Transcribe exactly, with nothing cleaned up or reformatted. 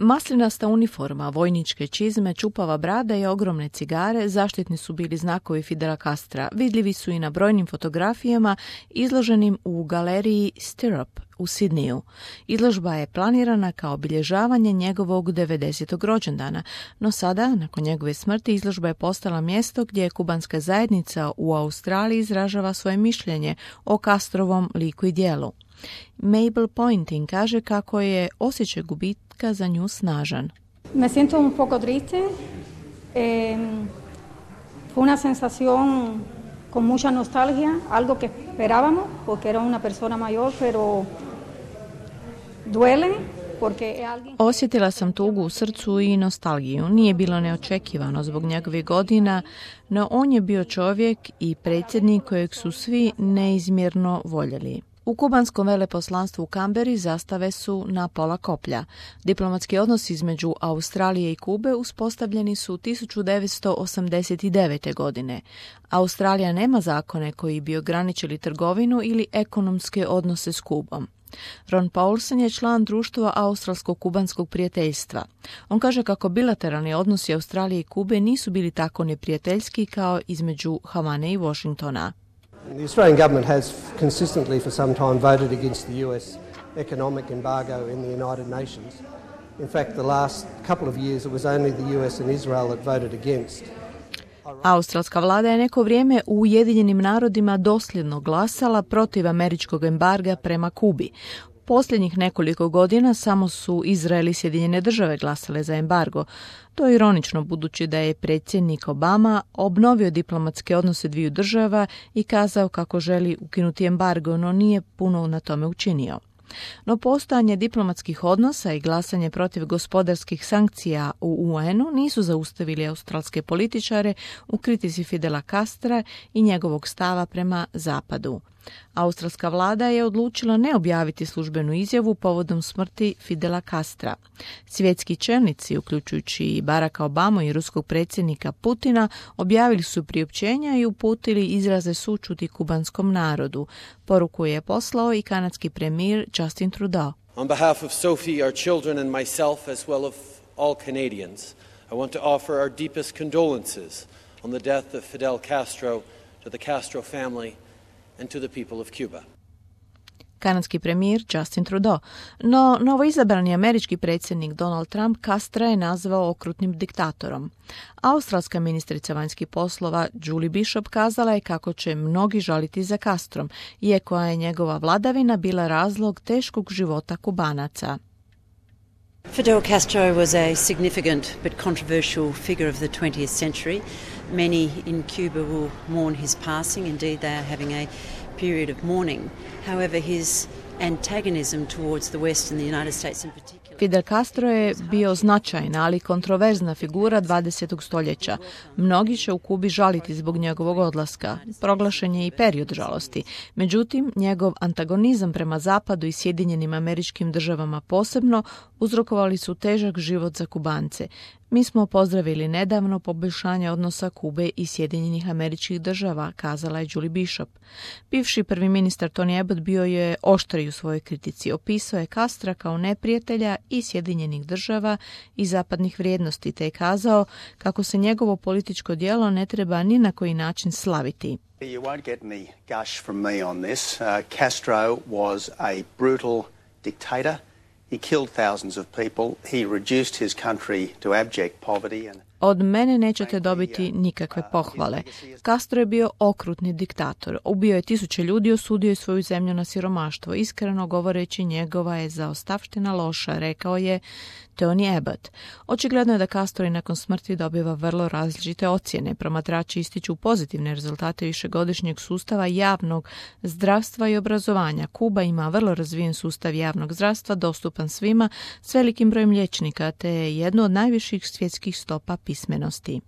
Maslinasta uniforma, vojničke čizme, čupava brada i ogromne cigare zaštitni su bili znakovi Fidela Castra. Vidljivi su i na brojnim fotografijama izloženim u galeriji Stirrup u Sidniju. Izložba je planirana kao obilježavanje njegovog devedesetog rođendana, no sada, nakon njegove smrti, izložba je postala mjesto gdje kubanska zajednica u Australiji izražava svoje mišljenje o Castrovom liku i djelu. Mabel Pointing kaže kako je osjećaj gubitka za nju snažan. Me siento un poco triste. Eh, fue una sensación con mucha nostalgia, algo que esperábamos porque era una persona mayor, pero duele. Osjetila sam tugu u srcu i nostalgiju. Nije bilo neočekivano zbog njegovih godina, no on je bio čovjek i predsjednik kojeg su svi neizmjerno voljeli. U kubanskom veleposlanstvu u Kamberi zastave su na pola koplja. Diplomatski odnosi između Australije i Kube uspostavljeni su tisuću devetsto osamdeset devete. godine. Australija nema zakone koji bi ograničili trgovinu ili ekonomske odnose s Kubom. Ron Paulsen je član društva Australsko-kubanskog prijateljstva. On kaže kako bilateralni odnosi Australije i Kube nisu bili tako neprijateljski kao između Havane i Washingtona. The Australian government has consistently for some time voted against the U S economic embargo in the United Nations. In fact, the last couple of years it was only the U S and Israel that voted against. Australska vlada je neko vrijeme u Ujedinjenim narodima dosljedno glasala protiv američkog embarga prema Kubi. Posljednjih nekoliko godina samo su Izrael i Sjedinjene države glasale za embargo. To je ironično budući da je predsjednik Obama obnovio diplomatske odnose dviju država i kazao kako želi ukinuti embargo, no nije puno na tome učinio. No postojanje diplomatskih odnosa i glasanje protiv gospodarskih sankcija u U N-u nisu zaustavili australske političare u kritici Fidela Castra i njegovog stava prema Zapadu. Australska vlada je odlučila ne objaviti službenu izjavu povodom smrti Fidela Castra. Svjetski čelnici, uključujući i Baracka Obama i ruskog predsjednika Putina, objavili su priopćenja i uputili izraze sućuti kubanskom narodu. Poruku je poslao i kanadski premijer Justin Trudeau. On behalf of Sophie, our children and myself, as well as all Canadians, I want to offer our deepest condolences on the death of Fidel Castro to the Castro family and to the people of Cuba. Kanadski premijer Justin Trudeau. No, novoizabrani američki predsjednik Donald Trump Castra je nazvao okrutnim diktatorom. Australska ministrica vanjskih poslova Julie Bishop kazala je kako će mnogi žaliti za Castrom, iako je njegova vladavina bila razlog teškog života Kubanaca. Fidel Castro was a significant but controversial figure of the twentieth century. Many in Cuba will mourn his passing. Indeed, they are having a period of mourning. However, his antagonism towards the West and the United States in particular. Fidel Castro je bio značajna, ali kontroverzna figura dvadesetog stoljeća. Mnogi će u Kubi žaliti zbog njegovog odlaska. Proglašen je i period žalosti. Međutim, njegov antagonizam prema Zapadu i Sjedinjenim Američkim Državama posebno uzrokovali su težak život za Kubance. Mi smo pozdravili nedavno poboljšanje odnosa Kube i Sjedinjenih Američkih Država, kazala je Julie Bishop. Bivši prvi ministar Tony Abbott bio je oštriji u svojoj kritici. Opisao je Castra kao neprijatelja i Sjedinjenih Država i zapadnih vrijednosti, te je kazao kako se njegovo političko djelo ne treba ni na koji način slaviti. You won't get any gush from me on this. Uh, Castro was a brutal dictator. He killed thousands of people. He reduced his country to abject poverty and Od mene nećete dobiti nikakve pohvale. Castro je bio okrutni diktator. Ubio je tisuće ljudi, osudio je svoju zemlju na siromaštvo. Iskreno govoreći, njegova je zaostavština loša, rekao je Tony Abbott. Očigledno je da Castro i nakon smrti dobiva vrlo različite ocjene. Promatrači ističu pozitivne rezultate višegodišnjeg sustava javnog zdravstva i obrazovanja. Kuba ima vrlo razvijen sustav javnog zdravstva, dostupan svima, s velikim brojem liječnika, te je jedno od najviših svjetskih stopa pismenosti.